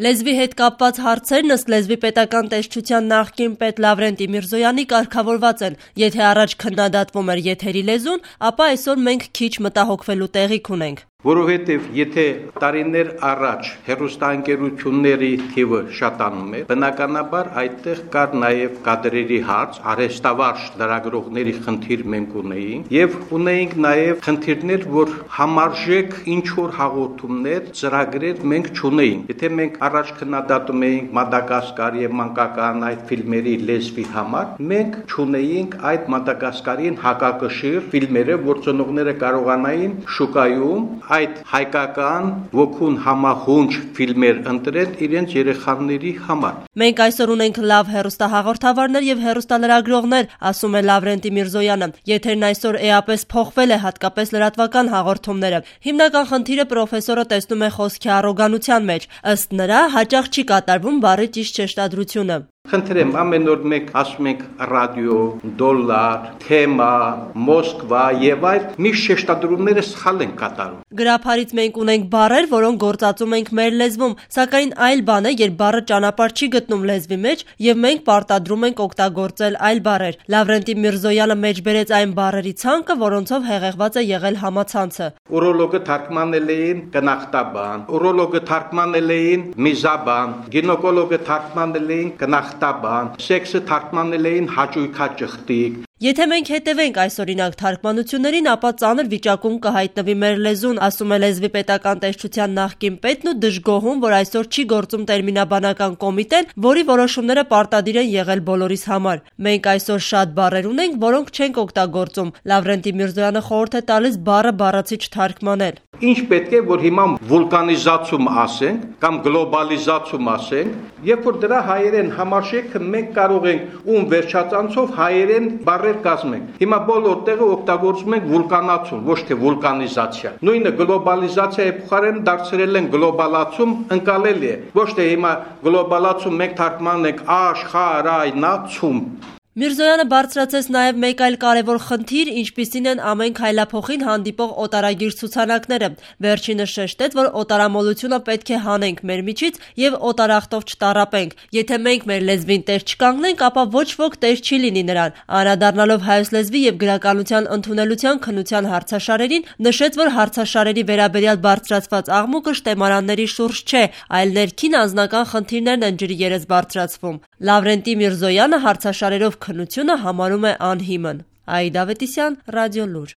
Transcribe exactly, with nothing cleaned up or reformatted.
Լեզվի հետ կապված հարցերն ըստ լեզվի պետական տեսչության նախկին պետ Լավրենտի Միրզոյանի կարգավորված են. եթե առաջ քննադատվում էր եթերի լեզուն, ապա այսօր մենք քիչ մտահոգվելու տեղիք ունենք. Որովհետև եթե տարիներ առաջ հեռուստաընկերությունների թիվը շատանում էր, բնականաբար այդտեղ կար նաև կադրերի հարց, արհեստավարժ լրագրողների խնդիր մենք ունեինք եւ ունեինք նաև խնդիրներ, որ համարժեք ինչ որ հաղորդումներ, ծրագրեր մենք չունեինք։ Եթե մենք առաջ քննադատում էինք Մադագասկար եւ մանկական այդ ֆիլմերի լեզվի համար, մենք չունեինք այդ Մադագասկարին հակակշիռ ֆիլմերը, որ ծնողները կարողանային շուկայում այդ հայկական ոգուն համախունչ ֆիլմեր ընտրել իրենց երեխաների համար։ Մենք այսօր ունենք լավ հեռուստահաղորդավարներ եւ հեռուստալրագրողներ, ասում է Լավրենտի Միրզոյանը։ Եթերն այսօր էապես փոխվել է, հատկապես լրատվական հաղորդումները։ Հիմնական խնդիրը պրոֆեսորը տեսնում է խոսքի առոգանության մեջ։ Ըստ նրա, հաճախ չի կատարվում բառի ճիշտ շեշտադրությունը։ Խնդրեմ, ամեն օր մենք ասում ենք ռադիո, դոլար, թեմա, Մոսկվա եւ այլ միշտ շեշտադրումները սխալ են կատարում։ Գրափարից մենք ունենք բառեր, որոնք գործածում ենք մեր լեզվում, սակայն այլ բան է, երբ բառը ճանապարհ չի գտնում լեզվի մեջ եւ մենք պարտադրում ենք օգտագործել այլ բառեր։ Լավրենտի Միրզոյանը մեջբերեց այն բառերի ցանկը, որոնցով հեղեղված է եղել համացանցը։ Ուրոլոգը թարգմանել էին կնախտաբան, ուրոլոգը թարգմանել էին միզաբան, գինեկոլոգը թարգմանել էին կնախտաբան, սեքսը թարգմանել էին հաճույքաճխտիկ։ Եթե մենք հետևենք այսօրինակ թարգմանություններին, ապա ծանր վիճակում կհայտնվի մեր լեզուն, ասում է լեզվի պետական տեսչության նախկին պետն ու դժգոհում, որ այսօր չի գործում տերմինաբանական կոմիտեն, որի որոշումները պարտադիր են եղել բոլորիս համար։ Մենք այսօր շատ բառեր ունենք, որոնք չենք օգտագործում։ Լավրենտի Միրզոյանը խորհուրդ է տալիս բառը բառացի չթարգմանել։ Ինչ պետք է, որ հիմա վուլկանիզացում ասենք կամ գլոբալիզացում ասենք, երբ որ դրա հայերեն համարժեքը մենք կարող ենք ում վերջածանցով հայերեն բառեր կազմենք։ Հիմա բոլոր տեղը օգտագործում ենք վուլկանացում, ոչ թե վուլկանիզացիա։ Նույնը գլոբալիզացիայի փոխարեն դարձրել են գլոբալացում, ընկալելի է։ Ոչ թե հիմա գլոբալացում մենք թարգմանում ենք աշխարհայնացում։ Միրզոյանը բարձրացեց նաև մեկ այլ կարևոր խնդիր, ինչպիսին են ամեն քայլափոխին հանդիպող օտարագիր ցուցանակները։ Վերջինս շեշտեց, որ օտարամոլությունը պետք է հանենք մեր միջից եւ օտարախտով չտառապենք։ Եթե մենք մեր լեզվին տեր չկանգնենք, ապա ոչ ոք տեր չի լինի նրան։ Անդրադառնալով հայոց լեզվի եւ գրականության ընդունելության քննության հարցաշարերին, նշեց, որ հարցաշարերի վերաբերյալ բարձրացված աղմուկը շտեմարանների շուրջ չէ, այլ ներքին անձնական խնդիրներն են ջրի երես բարձրացվում։ Լավրենտի Միրզոյանը հարցաշարերով քննությունը համարում է անհիմն։ Աիդա Ավետիսյան, Ռադիոլուր։